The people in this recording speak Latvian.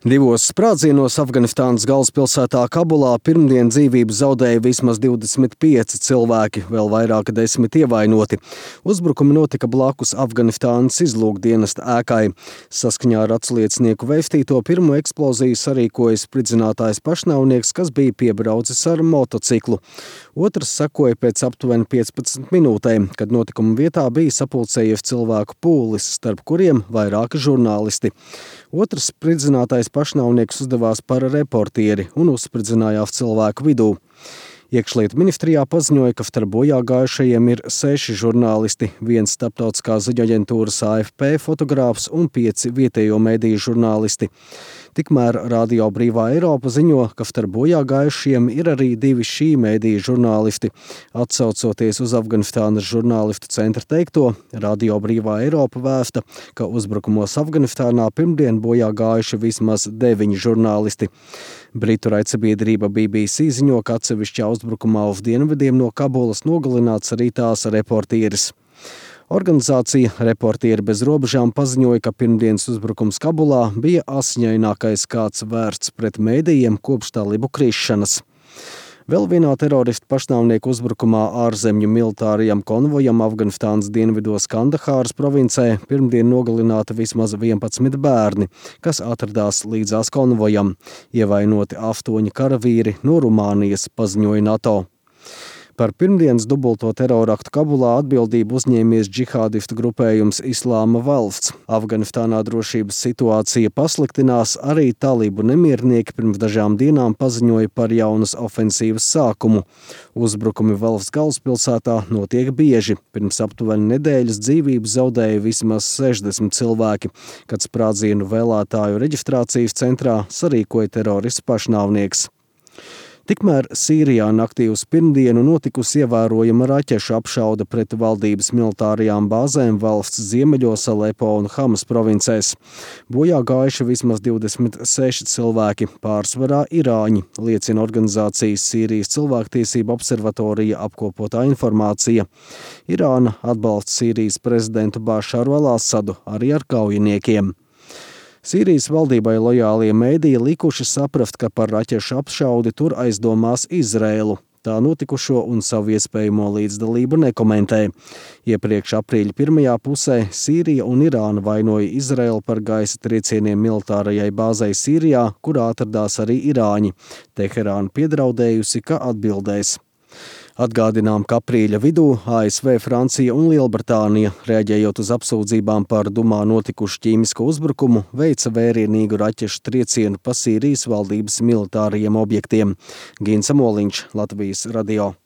Divos sprādzienos Afganistānas galvaspilsētā Kabulā pirmdien dzīvību zaudēja vismaz 25 cilvēki, vēl vairāk 10 ievainoti. Uzbrukumi notika blakus Afganistānas izlūkdienesta ēkai. Saskaņā ar atsliecinieku vēstīto pirmo eksploziju sarīkoja spridzinātājs pašnāvnieks, kas bija piebraucis ar motociklu. Otrs sekoja pēc aptuveni 15 minūtēm, kad notikuma vietā bija sapulcējies cilvēku pūlis, starp kuriem vairāki žurnālisti. Otrs spridzinātais pašnāvnieks uzdevās par reportieri un uzspridzinājās cilvēku vidū. Iekšlietu ministrijā paziņoja, ka starp bojāgājušajiem ir 6 žurnālisti, 1 starptautiskā ziņaģentūras AFP fotogrāfs un 5 vietējo mediju žurnālisti. Tikmēr Radio Brīvā Eiropa ziņo, ka starp bojāgājušiem ir arī 2 šī mediju žurnālisti. Atsaucoties uz Afganistānas žurnālistu centra teikto, Radio Brīvā Eiropa vēsta, ka uzbrukumos Afganistānā pirmdien bojāgājuši vismaz 9 žurnālisti. Britu raidsabiedrība BBC ziņo, ka atsevišķā uzbrukumā uz dienvidiem no Kabulas nogalināts arī tās reportieris. Organizācija Reportieri bez robežām paziņoja, ka pirmdienas uzbrukums Kabulā bija asiņainākais, kāds vērsts pret mēdījiem kopš talibu krišanas. Vēl vienā teroristu pašnāvnieku uzbrukumā ārzemju militārajam konvojam Afganistānas dienvidos Kandahāras provincē pirmdien nogalināti vismaz 11 bērni, kas atradās līdzās konvojam. Ievainoti 8 karavīri no Rumānijas, paziņoja NATO. Par pirmdienas dubulto teroraktu Kabulā atbildību uzņēmies džihādistu grupējums Islāma valsts. Afganistānā drošības situācija pasliktinās, arī talibu nemiernieki pirms dažām dienām paziņoja par jaunas ofensīvas sākumu. Uzbrukumi valsts galvaspilsētā notiek bieži. Pirms aptuveni nedēļas dzīvību zaudēja vismaz 60 cilvēki, kad sprādzienu vēlētāju reģistrācijas centrā sarīkoja terorists pašnāvnieks. Tikmēr Sīrijā naktī uz pirmdienu notikusi ievērojama raķešu apšaude pret valdības militārajām bāzēm valsts ziemeļos Alepo un Hamas provincēs. Bojā gājuši vismaz 26 cilvēki, pārsvarā irāņi, liecina organizācijas Sīrijas cilvēktiesību observatorija apkopotā informācija. Irāna atbalsta Sīrijas prezidentu Bašaru al-Asadu arī ar kaujiniekiem. Sīrijas valdībai lojālie mēdīji likuši saprast, ka par raķešu apšaudi tur aizdomās Izraēlu. Tā notikušo un savu iespējamo līdzdalību nekomentē. Iepriekš aprīļa pirmajā pusē Sīrija un Irāna vainoja Izraēlu par gaisa triecieniem militārajai bāzei Sīrijā, kurā atradās arī irāņi. Teherāna piedraudējusi, ka atbildēs. Atgādinām, ka aprīļa vidū ASV, Francija un Lielbritānija, reaģējot uz apsūdzībām par Dumā notikušu ķīmisko uzbrukumu, veica vērienīgu raķešu triecienu pa Sīrijas valdības militārajiem objektiem. Gins Amoliņš, Latvijas radio.